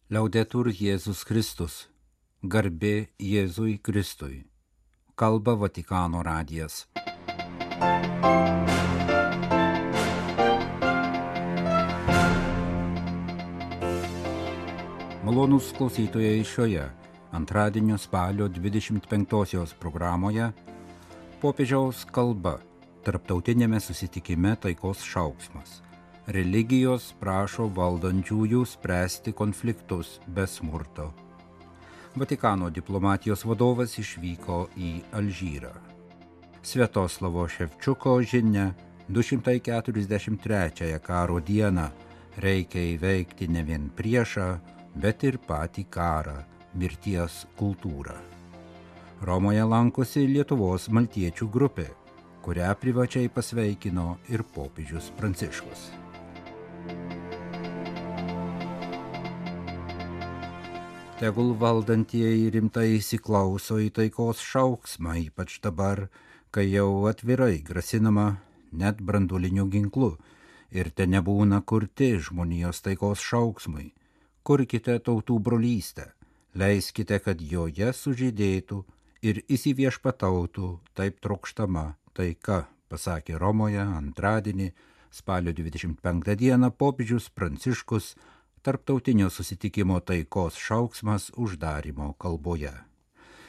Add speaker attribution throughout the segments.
Speaker 1: Liaudetur Jėzus Kristus, garbė Jėzui Kristui. Kalba Vatikano radijas. Malonūs klausytojai, šioje antradienio spalio 25-osios programoje popiežiaus kalba tarptautinėme susitikime taikos šauksmas. Religijos prašo valdančiųjų spręsti konfliktus be smurto. Vatikano diplomatijos vadovas išvyko į Alžyrą. Sviatoslavo Ševčiuko žinia 243 karo dieną reikia įveikti ne vien priešą, bet ir patį karą, mirties kultūrą. Romoje lankosi Lietuvos maltiečių grupė, kurią privačiai pasveikino ir popiežius Pranciškus. Tegul valdantieji rimtai įsiklauso į taikos šauksmą, ypač dabar, kai jau atvirai grasinama net branduoliniu ginklu ir te nebūna kurti žmonijos taikos šauksmui. Kurkite tautų brolystę, leiskite, kad joje sužydėtų ir įsiviešpatautų taip trokštama taika, pasakė Romoje antradienį, spalio 25 dieną popiežius Pranciškus tarptautinio susitikimo taikos šauksmas uždarymo kalboje.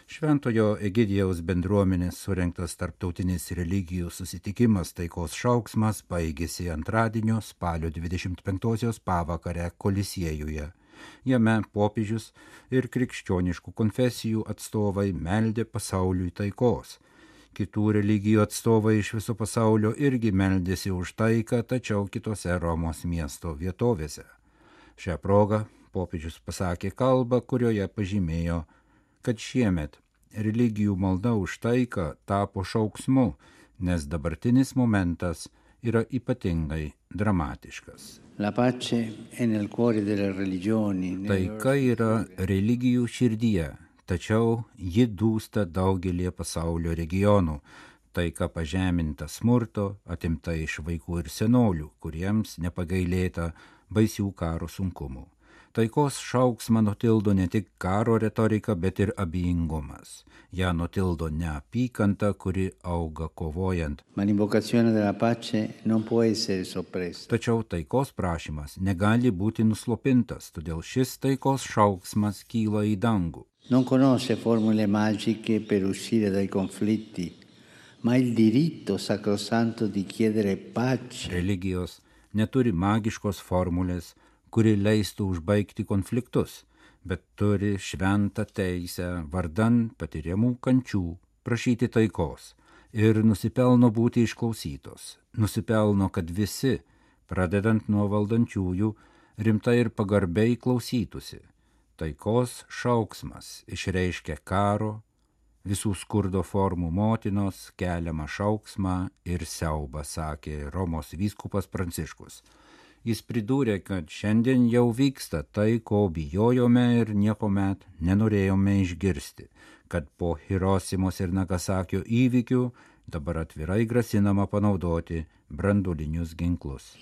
Speaker 1: Šventojo Egidijaus bendruomenės surengtas tarptautinis religijų susitikimas taikos šauksmas baigėsi antradienio spalio 25-osios pavakarę Kolisiejuje. Jame popiežius ir krikščioniškų konfesijų atstovai meldė pasauliui taikos. Kitų religijų atstovai iš viso pasaulio irgi meldėsi už taiką, tačiau kitose Romos miesto vietovėse. Šią progą popiežius pasakė kalbą, kurioje pažymėjo, kad šiemet religijų malda už taiką tapo šauksmu, nes dabartinis momentas yra ypatingai dramatiškas. Taika yra religijų širdyje, tačiau ji dūsta daugelį pasaulio regionų. Taika pažeminta smurto, atimta iš vaikų ir senolių, kuriems nepagailėta baisių karo sunkumų. Taikos šauksmą nutildo ne tik karo retorika, bet ir abejingumas. Ja nutildo neapykanta, kuri auga kovojant. Tačiau taikos prašymas negali būti nuslopintas, todėl šis taikos šauksmas kyla į dangų.
Speaker 2: Non conosce formule magiche per uscire dai conflitti, ma il diritto sacrosanto di chiedere pace.
Speaker 1: Religijos neturi magiškos formulės, kuri leistų užbaigti konfliktus, bet turi šventą teisę vardan patiriamų kančių prašyti taikos ir nusipelno būti išklausytos. Nusipelno, kad visi, pradedant nuo valdančiųjų, rimtai ir pagarbiai klausytųsi. Taikos šauksmas išreiškia karo, visų skurdo formų motinos keliamą šauksmą ir siaubą, sakė Romos vyskupas Pranciškus. Jis pridūrė, kad šiandien jau vyksta tai, ko bijojome ir niekuomet nenorėjome išgirsti, kad po Hirosimos ir Nagasakio įvykių dabar atvirai grasinama panaudoti branduolinius ginklus.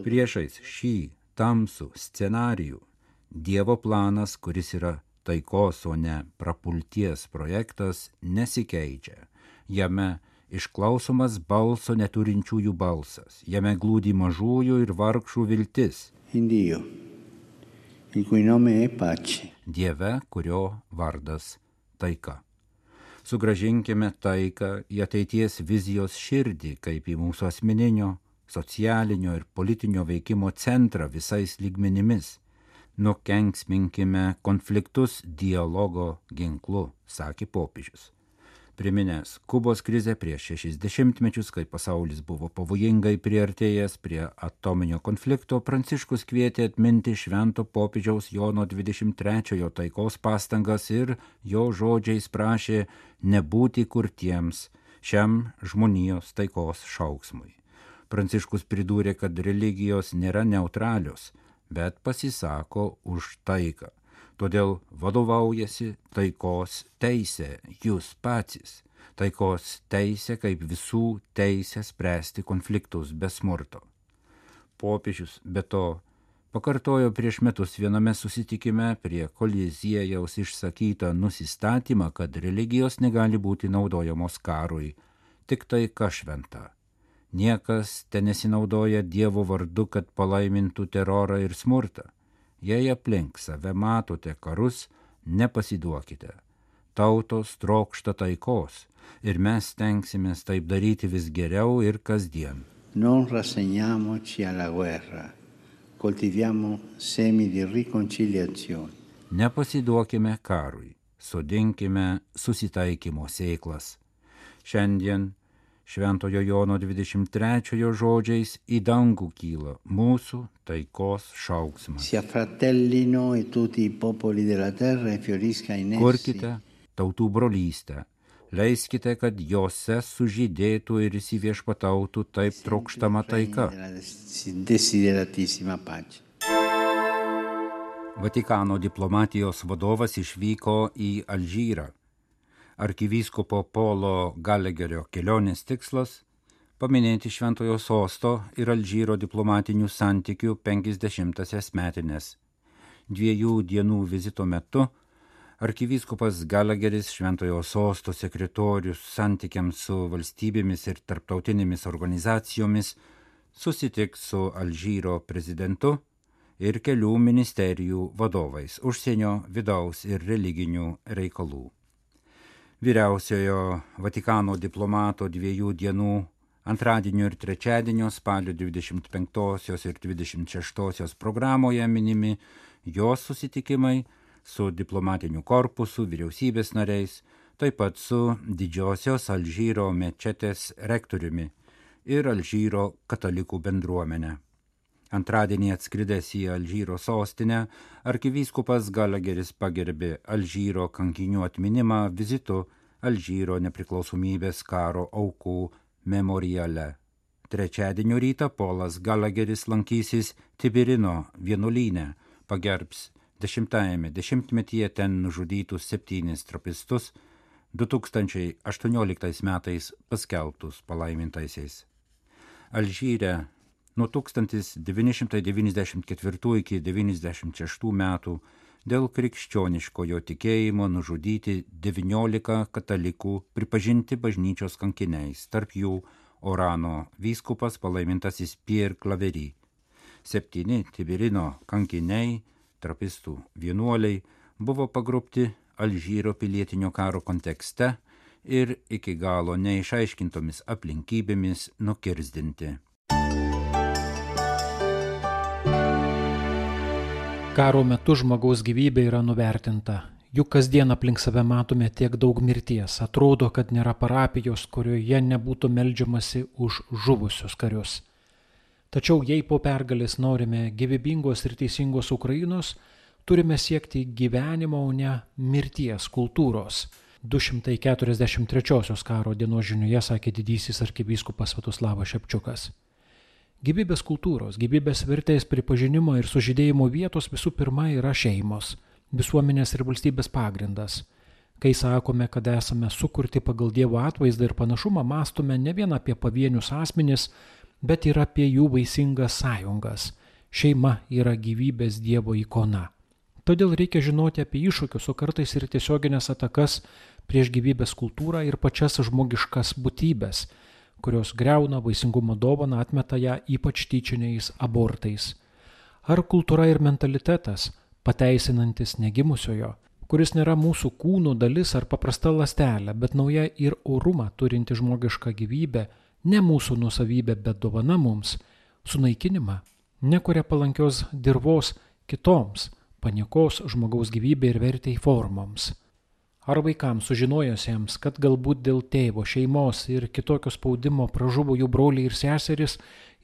Speaker 1: Priešais šį tamsų scenarijų Dievo planas, kuris yra taikos, o ne prapulties projektas, nesikeičia. Jame išklausomas balso neturinčiųjų balsas. Jame glūdi mažųjų ir vargšų viltis. Dieve, kurio vardas taika. Sugrąžinkime taiką į ateities vizijos širdį, kaip į mūsų asmeninio, socialinio ir politinio veikimo centrą visais lygmenimis. Nukenksminkime konfliktus dialogo ginklu, sakė popiežius. Priminęs Kubos krizę prieš 60 mečius, kai pasaulis buvo pavojingai priartėjęs prie atominio konflikto, Pranciškus kvietė atminti švento popiežiaus Jono 23 taikos pastangas ir jo žodžiais prašė nebūti kurtiems šiam žmonijos taikos šauksmui. Pranciškus pridūrė, kad religijos nėra neutralios, bet pasisako už taiką. Todėl vadovaujasi taikos teisė, jūs patys. Taikos teisė kaip visų teisė spręsti konfliktus be smurto. Popiežius be to pakartojo prieš metus viename susitikime prie Koliziejaus išsakytą nusistatymą, kad religijos negali būti naudojamos karui, tik taika šventa. Niekas ten nesinaudoja Dievo vardu, kad palaimintų terorą ir smurtą. Jei aplink save matote karus, nepasiduokite. Tautos trokšta taikos ir mes stengsimės taip daryti vis geriau ir kasdien.
Speaker 2: Non rassegniamoci alla guerra, coltiviamo semi di riconciliazione.
Speaker 1: Nepasiduokime karui, sodinkime susitaikymo sėklas. Šiandien Šventojo Jono 23 žodžiais į dangų kyla mūsų taikos šauksmas.
Speaker 2: Si affratellino e tutti i popoli della terra e fiorisca in essi.
Speaker 1: Kurkite tautų brolystę, leiskite, kad jose sužydėtų ir įsiviešpatautų taip trokštama taika.
Speaker 2: Desideratissima pace.
Speaker 1: Vatikano diplomatijos vadovas išvyko į Alžyrą. Arkivyskupo Polo Galegerio kelionės tikslas – paminėti Šventojo Sosto ir Alžyro diplomatinių santykių 50-asias metines. 2 dienų vizito metu arkivyskupas Galegeris, Šventojo Sosto sekretorius santykiams su valstybėmis ir tarptautinėmis organizacijomis, susitiks su Alžyro prezidentu ir kelių ministerijų vadovais užsienio, vidaus ir religinių reikalų. Vyriausiojo Vatikano diplomato 2 dienų antradienio ir trečiadienio spalio 25 ir 26 programoje minimi jos susitikimai su diplomatiniu korpusu, vyriausybės nariais, taip pat su didžiosios Alžyro mečetės rektoriumi ir Alžyro katalikų bendruomenė. Antradienį atskridęs į Alžyro sostinę, arkivyskupas Galegeris pagerbė Alžyro kankinių atminimą vizitu Alžyro nepriklausomybės karo aukų memoriale. Trečiadienio rytą Polas Galegeris lankysis Tibirino vienuolyne, pagerbs 10-ame dešimtmetyje ten nužudytus 7 trapistus, 2018 metais paskelbtus palaimintaisiais. Alžyre nuo 1994 iki 1996 metų dėl krikščioniškojo tikėjimo nužudyti 19 katalikų pripažinti bažnyčios kankiniais, tarp jų Orano vyskupas palaimintasis Pierre Claverie. 7 Tibirino kankiniai, trapistų vienuoliai, buvo pagrobti Alžyro pilietinio karo kontekste ir iki galo neišaiškintomis aplinkybėmis nukirzdinti.
Speaker 3: Karo metu žmogaus gyvybė yra nuvertinta. Juk kasdien aplink save matome tiek daug mirties. Atrodo, kad nėra parapijos, kurioje nebūtų meldžiamasi už žuvusius karius. Tačiau jei po pergalės norime gyvybingos ir teisingos Ukrainos, turime siekti gyvenimo, o ne mirties kultūros. 243 karo dienos žinioje sakė didysis arkivyskupas Sviatoslavas Šepčiukas. Gyvybės kultūros, gyvybės vertės pripažinimo ir sužydėjimo vietos visų pirma yra šeimos, visuomenės ir valstybės pagrindas. Kai sakome, kad esame sukurti pagal Dievo atvaizdą ir panašumą, mąstome ne vien apie pavienius asmenis, bet ir apie jų vaisingas sąjungas. Šeima yra gyvybės Dievo ikona. Todėl reikia žinoti apie iššūkius, o kartais ir tiesioginės atakas prieš gyvybės kultūrą ir pačias žmogiškas būtybės, kurios griauna vaisingumo dovaną, atmeta ją ypač tyčiniais abortais. Ar kultūra ir mentalitetas, pateisinantis negimusiojo, kuris nėra mūsų kūnų dalis ar paprasta ląstelė, bet nauja ir orumą turinti žmogišką gyvybę, ne mūsų nuosavybė, bet dovana mums, sunaikinimą, nekuria palankios dirvos kitoms, paniekos žmogaus gyvybė ir vertei formoms. Ar vaikams sužinojusiems, kad galbūt dėl tėvo, šeimos ir kitokio spaudimo pražuvo jų broliai ir seserys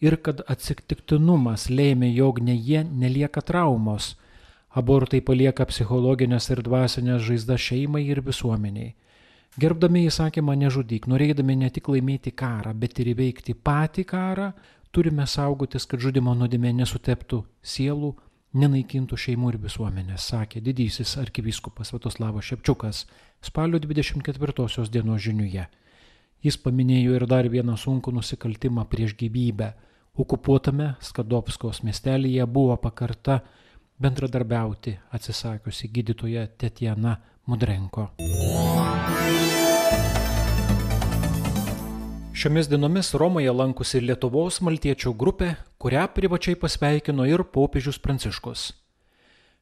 Speaker 3: ir kad atsitiktinumas lėmė, jog ne jie nelieka traumos. Abortai palieka psichologinės ir dvasinės žaizdas šeimai ir visuomeniai. Gerbdami įsakymą nežudyk, norėdami ne tik laimėti karą, bet ir įveikti patį karą, turime saugotis, kad žudimo nuodėmė nesuteptų sielų, nenaikintų šeimų ir visuomenės, sakė didysis arkivyskupas Sviatoslavas Šepčiukas spalio 24 dienos žiniuje. Jis paminėjo ir dar vieną sunkų nusikaltimą prieš gyvybę okupuotame Skadovskos miestelyje buvo pakarta bendradarbiauti atsisakiusi gydytoja Tetjana Mudrenko. Šiomis dienomis Romoje lankosi Lietuvos maltiečių grupė, kurią privačiai pasveikino ir popiežius Pranciškus.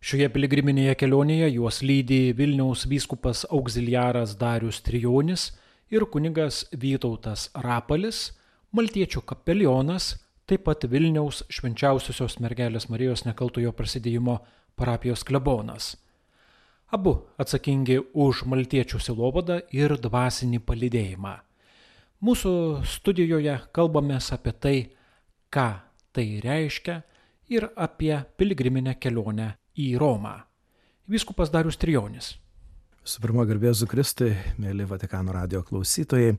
Speaker 3: Šioje piligriminėje kelionėje juos lydi Vilniaus vyskupas auxiliaras Darius Trijonis ir kunigas Vytautas Rapalis, maltiečių kapelionas, taip pat Vilniaus Švenčiausiosios mergelės Marijos Nekaltojo Prasidėjimo parapijos klebonas. Abu atsakingi už maltiečių sielovadą ir dvasinį palydėjimą. Mūsų studijoje kalbamės apie tai, ką tai reiškia ir apie piligriminę kelionę į Romą. Vyskupas Darius Trijonis.
Speaker 4: Su pirma, garbė Jėzui Kristui, mėly Vatikano radijo klausytojai.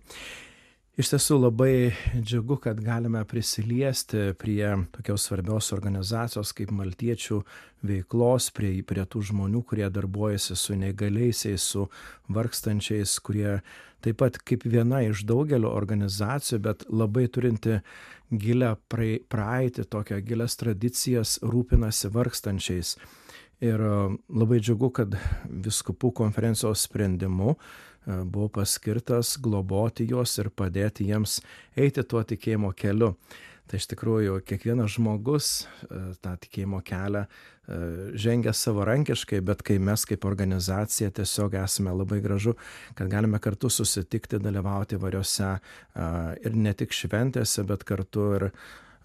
Speaker 4: Iš tiesų labai džiugu, kad galime prisiliesti prie tokios svarbios organizacijos kaip maltiečių veiklos, prie tų žmonių, kurie darbuojasi su neįgaliaisiais, su vargstančiais, kurie taip pat kaip viena iš daugelio organizacijų, bet labai turinti gilią praeitį, tokią gilias tradicijas, rūpinasi vargstančiais. Ir labai džiugu, kad vyskupų konferencijos sprendimu buvo paskirtas globoti juos ir padėti jiems eiti tuo tikėjimo keliu. Tai iš tikrųjų kiekvienas žmogus tą tikėjimo kelią žengia savarankiškai, bet kai mes kaip organizacija tiesiog esame labai gražu, kad galime kartu susitikti, dalyvauti įvairiose ir ne tik šventėse, bet kartu ir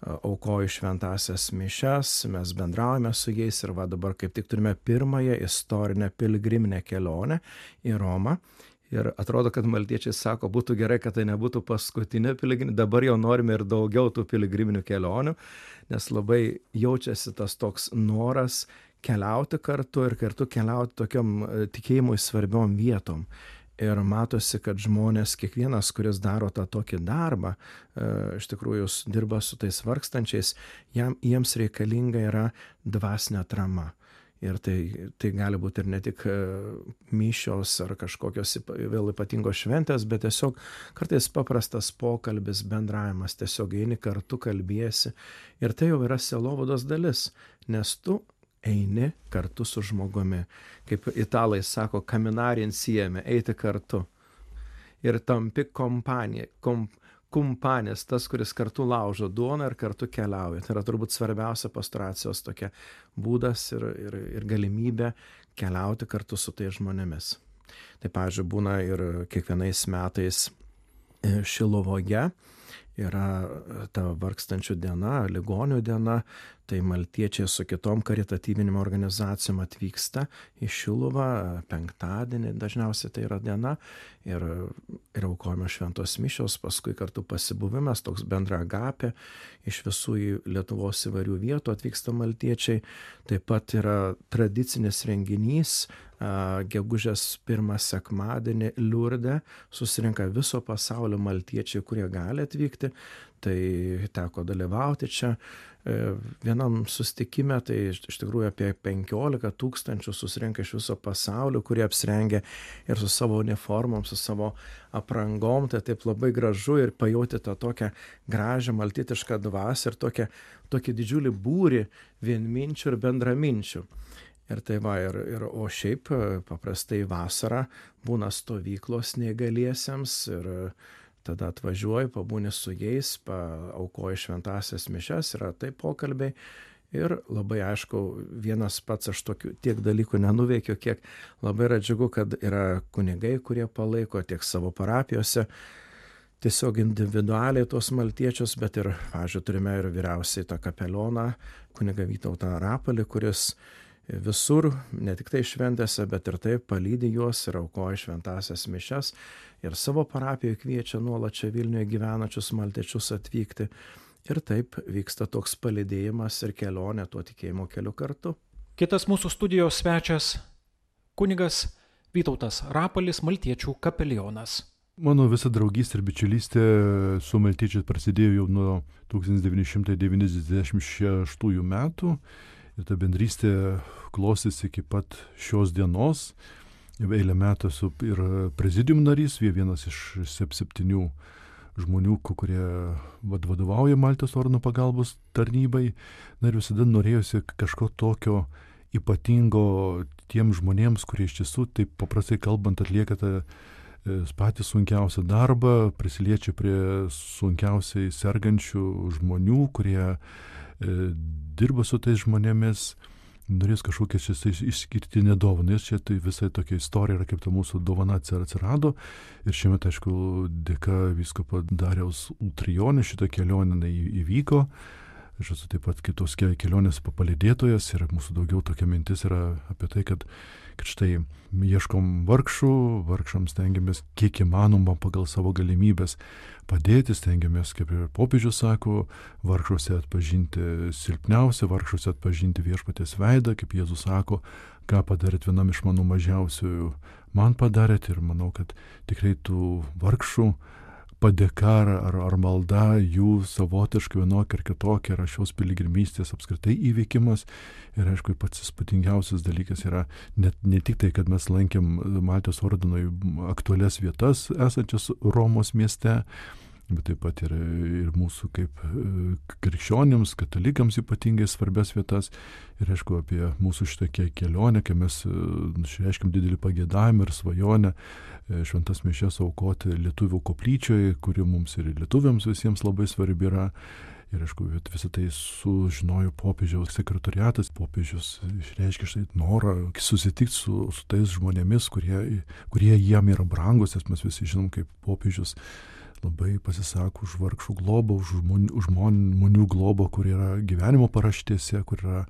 Speaker 4: aukoju šventąsias mišias, mes bendraujame su jais ir dabar kaip tik turime pirmąją istorinę piligriminę kelionę į Romą. Ir atrodo, kad maltiečiai sako, būtų gerai, kad tai nebūtų paskutinė piligriminė, dabar jau norime ir daugiau tų piligriminių kelionių, nes labai jaučiasi tas toks noras keliauti kartu ir kartu keliauti tokiom tikėjimui svarbiom vietom. Ir matosi, kad žmonės, kiekvienas, kuris daro tą tokį darbą, iš tikrųjų dirba su tais vargstančiais, jiems reikalinga yra dvasinė atrama. Ir tai gali būti ir ne tik mišios ar kažkokios vėl ypatingos šventės, bet tiesiog kartais paprastas pokalbis, bendravimas, tiesiog eini kartu, kalbėsi. Ir tai jau yra sielovados dalis, nes tu eini kartu su žmogumi. Kaip italai sako, caminare insieme, eiti kartu. Ir tampi kumpanės, tas, kuris kartu laužo duoną ir kartu keliauja. Tai yra turbūt svarbiausia pastoracijos tokia būdas ir galimybė keliauti kartu su tais žmonėmis. Tai, pavyzdžiui, būna ir kiekvienais metais Šiluvoje yra ta vargstančių diena, ligonių diena, tai maltiečiai su kitom karitatyvinimo organizacijom atvyksta į Šiluvą, penktadienį dažniausiai tai yra diena, ir aukojame šventos mišios, paskui kartu pasibuvimas, toks bendra agapė, iš visų Lietuvos įvairių vietų atvyksta maltiečiai, taip pat yra tradicinis renginys, gegužės 1 sekmadienį Liurde susirinka viso pasaulio maltiečiai, kurie gali atvykti, tai teko dalyvauti čia. Vienam susitikime, tai iš tikrųjų apie 15 000 susirinka iš viso pasaulio, kurie apsirengia ir su savo uniformom, su savo aprangom, tai taip labai gražu ir pajauti tą tokią gražią maltietišką dvasią ir tokį didžiulį būrį vienminčių ir bendraminčių. Ir tai o šiaip paprastai vasarą būna stovyklos neįgaliesiems ir tada atvažiuoju, pabūni su jais, aukoju šventąsias mišias, yra taip pokalbiai. Ir labai aišku, vienas pats aš tiek dalykų nenuveikiu, kiek labai yra džiugu, kad yra kunigai, kurie palaiko tiek savo parapijose, tiesiog individualiai tuos maltiečius, bet ir, pavyzdžiui, turime ir vyriausiai tą kapelioną, kunigą Vytautą Rapalį, kuris visur, ne tik tai šventėse, bet ir taip palydi juos ir aukoja šventąsias mišias ir savo parapijoje kviečia nuolat čia Vilniuje gyvenančius maltiečius atvykti. Ir taip vyksta toks palydėjimas ir kelionė tuo tikėjimo keliu kartu.
Speaker 3: Kitas mūsų studijos svečias kunigas Vytautas Rapalis, maltiečių kapelionas.
Speaker 5: Mano visa draugystė ir bičiulystė su maltiečiais prasidėjo jau nuo 1996 metų. Ir ta bendrystė klostėsi iki pat šios dienos. Jau eilę metų esu ir prezidium narys, vienas iš 7 žmonių, kurie vadovauja Maltos ordino pagalbos tarnybai. Na ir visada norėjusi kažko tokio ypatingo tiem žmonėms, kurie iš tiesų, taip paprastai kalbant, atlieka tą patį sunkiausią darbą, prisiliečia prie sunkiausiai sergančių žmonių, kurie dirba su tais žmonėmis, norės kažkokią išskirtinę dovaną. Ir čia tai visai tokia istorija yra, kaip ta mūsų dovana atsirado. Ir šiemet, aišku, dėka vyskupo Dariaus Ultrijonė šitą kelionę įvyko. Aš esu taip pat kitos kelionės palydėtojas ir mūsų daugiau tokia mintis yra apie tai, kad štai ieškom vargšams stengiamės kiek įmanoma pagal savo galimybės padėti, stengiamės, kaip ir popiežius sako, vargšuose atpažinti silpniausią, vargšuose atpažinti viešpaties veidą, kaip Jėzus sako, ką padarėt vienam iš mano mažiausiųjų, man padarėt, ir manau, kad tikrai tų vargšų padėka ar malda jų savotiškai vienokia ar kitokia yra šios piligrimystės apskritai įveikimas. Ir aišku, pats įspūdingiausias dalykas yra ne tik tai, kad mes lankėm Maltos ordinui aktualias vietas esančias Romos mieste, bet taip pat ir mūsų kaip krikščionims, katalikams ypatingai svarbias vietas. Ir aišku, apie mūsų šitą kelionę, kai mes išreiškėm didelį pageidavimą ir svajonę šventas mišias aukoti lietuvių koplyčioje, kuri mums ir lietuviams visiems labai svarbi yra. Ir aišku, visą tai sužinojo popiežiaus sekretoriatas. Popiežius išreiškė štai norą susitikti su tais žmonėmis, kurie jiem yra brangus, nes mes visi žinom, kaip popiežius labai pasisako už vargšų globą, už žmonių globą, kur yra gyvenimo paraštėse, kur yra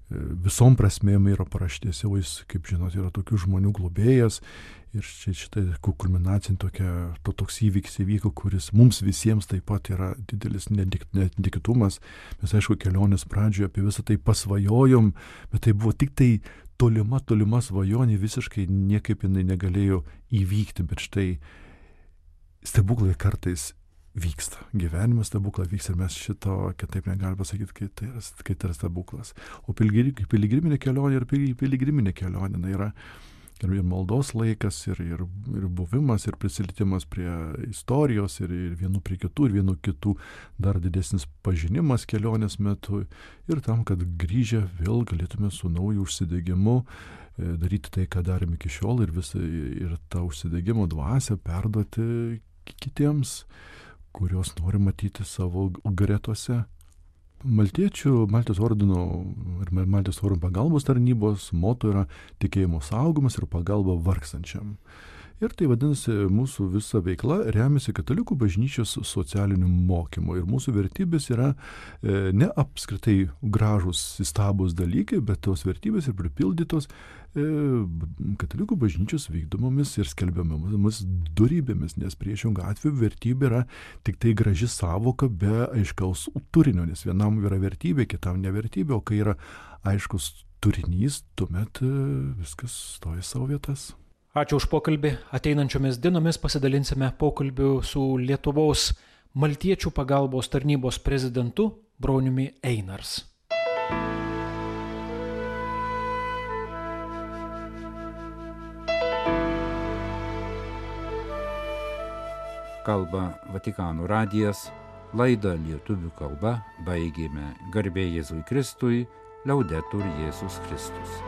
Speaker 5: visom prasmėm yra paraštėse, o jis, kaip žinot, yra tokių žmonių globėjas. Ir šitą kulminacinį toks įvykis įvyko, kuris mums visiems taip pat yra didelis netikėtumas. Mes, aišku, kelionės pradžioje apie visą tai pasvajojom, bet tai buvo tik tai tolima svajonė, visiškai niekaip jinai negalėjo įvykti, bet štai stebuklai kartais vyksta. Gyvenimas stebuklai vyksta ir mes šito kitaip negalime pasakyti, kai tai yra stebuklas. O piligriminė kelionė ir piligriminė kelionė yra ir maldos laikas, ir buvimas, ir prisilietimas prie istorijos, ir vienų prie kitų, ir vienų kitų dar didesnis pažinimas kelionės metu. Ir tam, kad grįžę vėl galėtume su nauju užsidegimu daryti tai, ką darėme iki šiol, ir tą užsidegimo dvasią perduoti kitiems, kurios nori matyti savo gretose. Maltos ordino ir Maltos ordino pagalbos tarnybos moto yra tikėjimo saugomas ir pagalba vargstančiam. Ir tai vadinasi, mūsų visa veikla remiasi katalikų bažnyčios socialiniu mokymu. Ir mūsų vertybės yra ne apskritai gražus, įstabus dalykai, bet tos vertybės ir pripildytos katalikų bažnyčios vykdomomis ir skelbiamomis dorybėmis, nes priešingų atveju vertybė yra tik tai graži savoka be aiškaus turinio, nes vienam yra vertybė, kitam nevertybė, o kai yra aiškus turinys, tuomet viskas stoja savo vietas.
Speaker 3: Ačiū už pokalbį. Ateinančiomis dienomis pasidalinsime pokalbiu su Lietuvos Maltiečių pagalbos tarnybos prezidentu Broniumi Einars.
Speaker 1: Kalba Vatikano radijas, laidą lietuvių kalba baigėme. Garbė Jėzui Kristui, Liaudetur Jėzus Kristus.